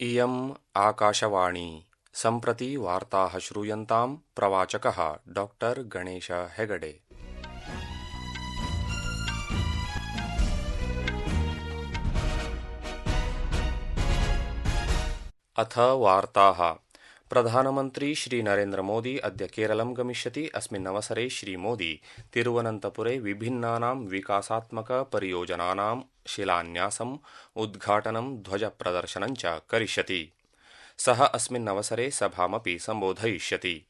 इयम् आकाशवाणी सम्प्रति वार्ताः श्रूयन्तां प्रवाचकः डॉक्टर गणेश हेगडे। अथ वार्ताः। प्रधानमन्त्री श्री नरेन्द्र मोदी अद्य केरलं गमिष्यति। अस्मिन् अवसरे श्री मोदी तिरुवनन्तपुरे विभिन्नानां विकासात्मक परियोजनानां शिलान्यासम्, उद्घाटनं, ध्वजप्रदर्शनं च करिष्यति। सः अस्मिन् अवसरे सभामपि सम्बोधयिष्यति।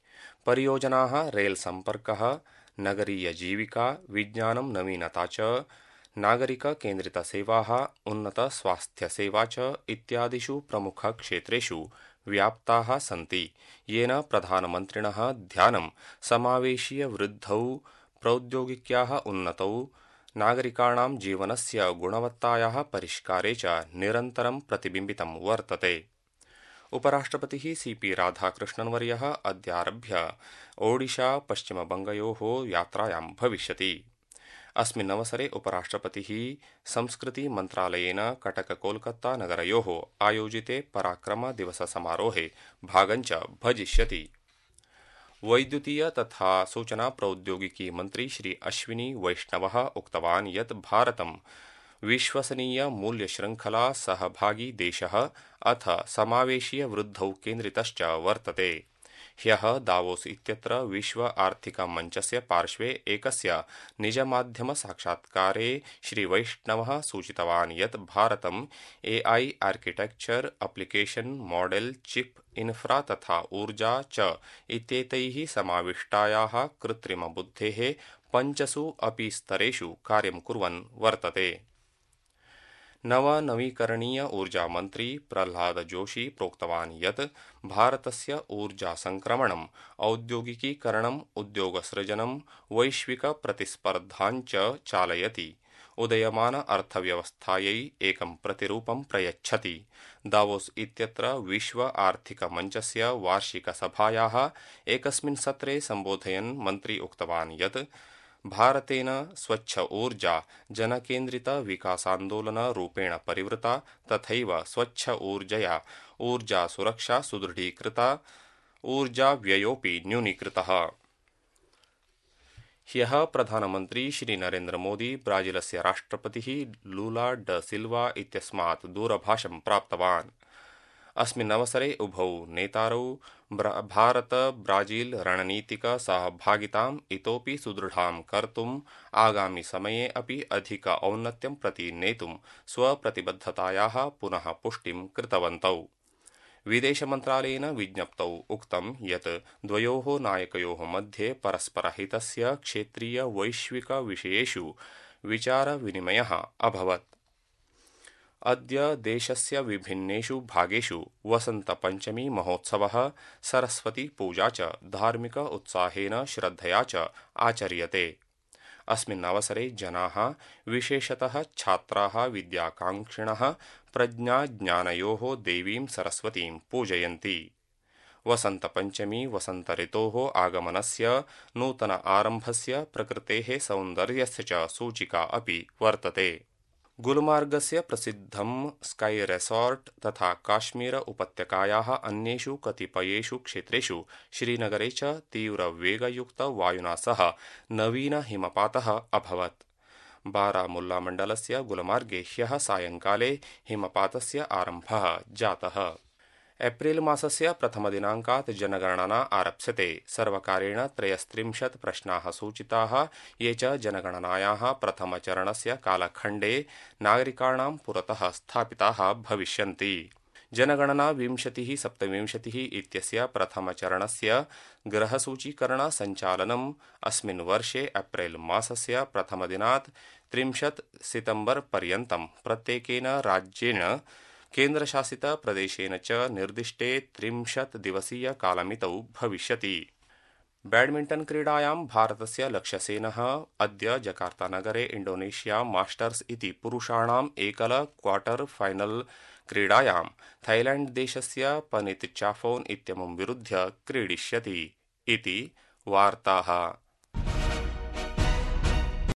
परियोजनाः रेल सम्पर्कः, नगरीयजीविका, विज्ञानं, नवीनता च, नागरिककेन्द्रितसेवाः, उन्नतस्वास्थ्यसेवा च इत्यादिषु प्रमुखक्षेत्रेषु व्याप्ताः सन्ति, येन प्रधानमन्त्रिणः ध्यानं समावेशीयवृद्धौ, प्रौद्योगिक्याः उन्नतौ, नागरिकाणां जीवनस्य गुणवत्तायाः परिष्कारे च निरन्तरं प्रतिबिम्बितं वर्तते। उपराष्ट्रपतिः सीपी राधाकृष्णन्वर्यः अद्यारभ्य ओडिशा पश्चिमबङ्गयोः यात्रायां भविष्यति। अस्मिन् अवसरे उपराष्ट्रपतिः संस्कृति मन्त्रालयेन कटक नगरयोः आयोजिते पराक्रम दिवस समारोहे भागं च भजिष्यति। वैद्युतीय तथा सूचना प्रौद्योगिकी मन्त्री श्री अश्विनी वैष्णवः उक्तवान् यत् भारतं विश्वसनीय मूल्यशृङ्खला सहभागी देशः अथ समावेशीय वृद्धौ केन्द्रितश्च वर्तते। ह्यः दावोस इत्यत्र विश्व आर्थिक मञ्चस्य पार्श्वे एकस्य निजमाध्यमसाक्षात्कारे श्री वैष्णवः सूचितवान् यत् भारतं AI architecture, application, model, chip, infra तथा ऊर्जा च इत्येतैः समाविष्टायाः कृत्रिमबुद्धेः 5 अपि स्तरेषु कार्यं कुर्वन् वर्तते। नवीकरणीय ऊर्जा मन्त्री प्रह्लाद जोशी प्रोक्तवान् यत् भारतस्य ऊर्जासङ्क्रमणम्, औद्योगिकीकरणम्, उद्योगसृजनं, वैश्विकप्रतिस्पर्धां च चालयति, उदयमान अर्थव्यवस्थायै एकं प्रतिरूपं प्रयच्छति। दावोस इत्यत्र विश्व आर्थिक मञ्चस्य वार्षिकसभायाः एकस्मिन् सत्रे सम्बोधयन् मन्त्री उक्तवान् यत् भारतेन स्वच्छ ऊर्जा जनकेन्द्रित विकासान्दोलन रूपेण परिवृता, तथैव स्वच्छ ऊर्जया ऊर्जा सुरक्षा सुदृढीकृता, ऊर्जाव्ययोऽपि न्यूनीकृतः। ह्यः प्रधानमन्त्री श्री नरेन्द्र मोदी ब्राजीलस्य राष्ट्रपतिः लूला ड सिल्वा इत्यस्मात् दूरभाषं प्राप्तवान्। अस्मिन् अवसरे उभौ नेतारौ भारत ब्राजील रणनीतिक सहभागिताम् इतोपि सुदृढां कर्तुम्, आगामि समये अपि अधिक औन्नत्यं प्रति नेतुं स्वप्रतिबद्धतायाः पुनः पुष्टिं कृतवन्तौ। विदेशमन्त्रालयेन विज्ञप्तौ उक्तं यत् द्वयोः नायकयोः मध्ये परस्परहितस्य क्षेत्रीय वैश्विक विषयेषु विचारविनिमयः अभवत्। अद्य देशस्य विभिन्नेषु भागेषु वसन्तपञ्चमी महोत्सवः, सरस्वती पूजा च धार्मिक उत्साहेन श्रद्धया च आचर्यते। अस्मिन् अवसरे जनाः, विशेषतः छात्राः, विद्याकाङ्क्षिणः प्रज्ञाज्ञानयोः देवीं सरस्वतीं पूजयन्ति। वसन्तपञ्चमी वसन्तऋतोः आगमनस्य, नूतन आरम्भस्य, प्रकृतेः सौन्दर्यस्य च सूचिका अपि वर्तते। गुलमार्गस्य प्रसिद्धं स्काई रेसॉर्ट तथा काश्मीर उपत्यकायाः अन्येषु कतिपयेषु क्षेत्रेषु श्रीनगरे च तीव्रवेगयुक्त वायुना सह नवीन हिमपातः अभवत्। बारामुल्लामण्डलस्य गुलमार्गे ह्यः सायङ्काले हिमपातस्य आरम्भः जातः। एप्रिल मासस्य प्रथमदिनाङ्कात् जनगणना आरप्स्यते। सर्वकारेण 33 प्रश्नाः सूचिताः, ये च जनगणनायाः प्रथमचरणस्य कालखण्डे नागरिकाणां पुरतः स्थापिताः भविष्यन्ति। जनगणना 2027 इत्यस्य प्रथमचरणस्य गृहसूचीकरणसञ्चालनम् अस्मिन् वर्षे एप्रिल मासस्य प्रथमदिनात् 30 सितम्बर पर्यन्तं प्रत्येकेन राज्येन, केन्द्रशासित प्रदेशेन च निर्दिष्टे 30 दिवसीय कालमितौ भविष्यति। बैडमिण्टन् क्रीडायां भारतस्य लक्ष्यसेनः अद्य जकार्तानगरे इण्डोनेशिया मास्टर्स् इति पुरुषाणाम् एकल क्वार्टर फाइनल क्रीडायां थाईलैण्ड देशस्य पनित चाफोन् इत्यमुं विरुध्य क्रीडिष्यति। इति वार्ताः।